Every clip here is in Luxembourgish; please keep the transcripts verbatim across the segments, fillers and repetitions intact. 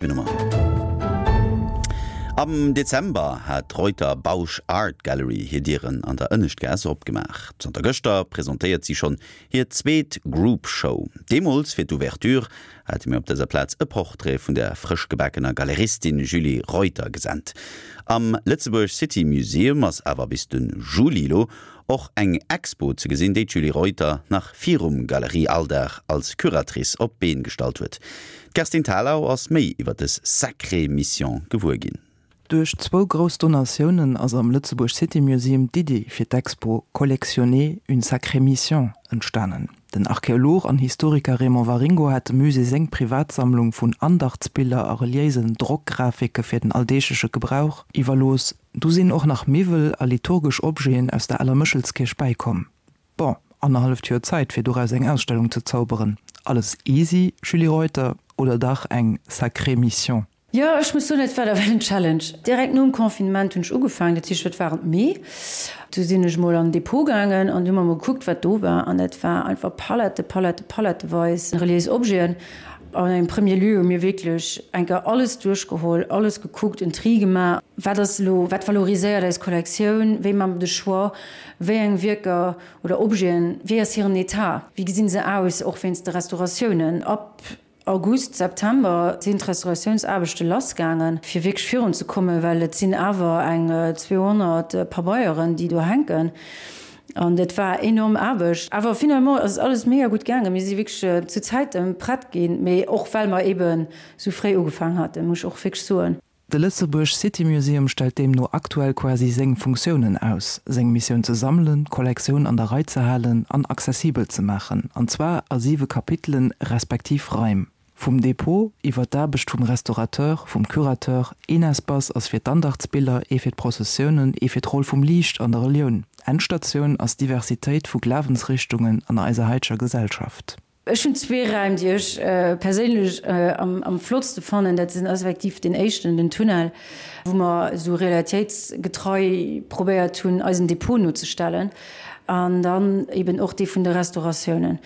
Nummer. Am Dezember hat d'Reuter Bausch Art Gallery hir Dieren an der Ënneschtgaass opgemaach. Zanter gëschter presentéiert si schonn hir zweet Group Show. Deemools fir d'Ouverture hate mir op dëser Plaz e Portrait vun der frëschgebakener Galeristin Julie Reuter gesent. Am Lëtzebuerg City Museum ass awer bis de Juli elo och eng Expo ze gesinn, déi d'Julie Reuter nach virum Galerie-Alldag als Curatrice op d'Been gestallt huet. D'Kerstin Thalau ass méi iwwer dës sacrée Mission gewuer ginn. Duerch zwou grouss Donatiounen ass am Lëtzebuerg City Museum d'Iddi fir d'Expo Collectionner, une sacrée mission entstanen. Den Archeolog an Historiker Raymond Waringo hat dem Musée seng Privatsammlung vun Andachtsbiller a reliéisen Drockgrafike fir den alldeegleche Gebrauch iwwerlooss. Du sinn och nach Miwwel a liturgesch Objeten aus der aler Méchelskierch bäikomm. Bon, annerhalleft Joer Zäit fir doraus eng Ausstellung ze zauberen. Alles easy, Julie Reuter, oder dach eng sacrée Mission? Jo, ech muss soen, et war ewell en Challenge. Direkt nom Confinement hunn ech ugefaangen, dat heescht, dat war am Mee. Du sinn ech mol an den Depot gaangen an du hu mer mol gekuckt, wat do war. An dat war einfach Palette, Palette, paletteweis reliéis Objeten. An engem premier lieu hu mir wierklech eng Kéier alles duerchgeholl, alles gekuckt, en Tri gemaach, wat ass elo, wat valoriséiert eis Kollektioun, wéi maache mer de Choix, wéi eng Wierker oder Objeten, wéi ass hiren Etat, wéi gesi se aus, och wéinst de Restauratiounen. Ab August, September sinn d'Restauratiounsaarbechte lassgaangen, fir wierklech virunzekommen, well et sinn awer eng zweehonnert Pabeieren, déi do hänken. An dat war enorm Aarbecht. Awer finalement ass alles mega gutt gaangen. Mir si wierklech zu Zäite prett ginn, mee och well mer eeben esou fréi ugefaangen haten, muss ech och wierklech soen. De Lëtzebuerg City Museum stellt deemno aktuell quasi seng Funktiounen aus, seng Missioun ze sammelen, d'Kollektioun an der Rei ze halen an accessibel ze maachen, an zwar a siwe Kapitelen respektiv Raim. Vum Depot iwwer d'Aarbecht vum Restaurateur, vum Curateur, een Espace ass fir d'Andachtsbiller, ee fir d'Prozessiounen, ee fir d'Roll vum Liicht an der Relioun. Endstatioun ass d'Diversitéit vu Glawensrichtungen an eiser haiteger Gesellschaft. Ech hunn zwee Räim, déi ech perséinlech am flottste fannen. Dat sinn effektiv deen éischten, den Tunnel, wou mer esou realitéitsgetrei probéiert hunn, eisen Depot nozestellen, an dann eben och dee vun de Restauratiounen.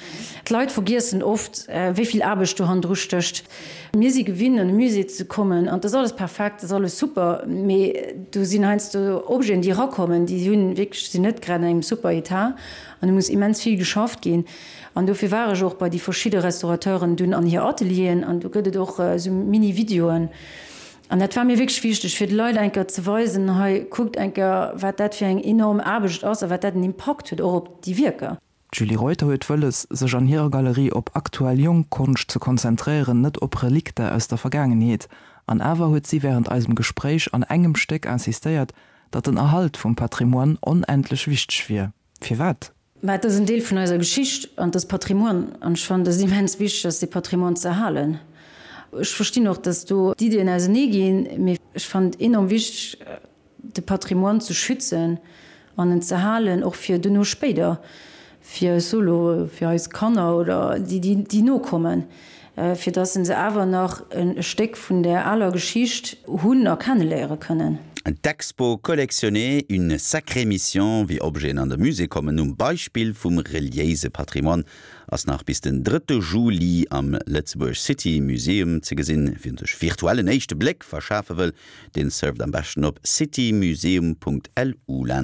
D'Leit vergiessen oft, wéi vill Aarbecht do hannendru stécht. Mir si gewinnt, an e Musée ze kommen an et ass alles perfekt, et ass alles super, mee do sinn heiansdo Objeten, déi erakommen, déi hunn wierklech, sinn net grad an engem super Etat an do muss immens vill geschafft ginn. An dofir war ech och bei déi verschidde Restaurateuren dunn an hir Atelieren an do gëtt et och esou Mini-Videoen. An dat war mir wierklech wichteg, fir de Leit eng Kéier ze weisen, hei kuckt eng Kéier, wat dat fir eng enorm Aarbecht ass a wat dat en Impakt huet och op déi Wierker. D'Julie Reuter huet wëlles, sech an hirer Galerie op aktuell jonk Konscht ze konzentréieren, net op Relikter aus der Vergaangenheet. An awer huet si wärend eisem Gespréich an engem Stéck insistéiert, datt den Erhalt vum Patrimoine onendlech wichteg wier. Firwat? Mä et ass en Deel vun eiser Geschicht an et ass Patrimoine. An ech fannen, et ass immens wichteg ass, dee Patrimoine ze erhalen. Ech verstinn och, datt do d'Iddien ausenee ginn, mee ech fannen et enorm wichteg, de Patrimoine ze schützen an en ze halen, och fir duerno spéider, fir, ech soe lo, fir eis Kanner oder déi, déi nokommen. Fir dass se awer nach e Stéck vun där aler Geschicht hunn a kenneléiere kënnen. D'Expo Collectionner, une sacrée mission, wéi Objeten an de Musée kommen, um Beispill vum reliéise Patrimoine, ass nach bis den drëtte Juli am Lëtzebuerg City Museum ze gesinn. Wien sech virtuell en éischte Bléck verschafe wëll, deen surft am beschten op citymuseum.lu.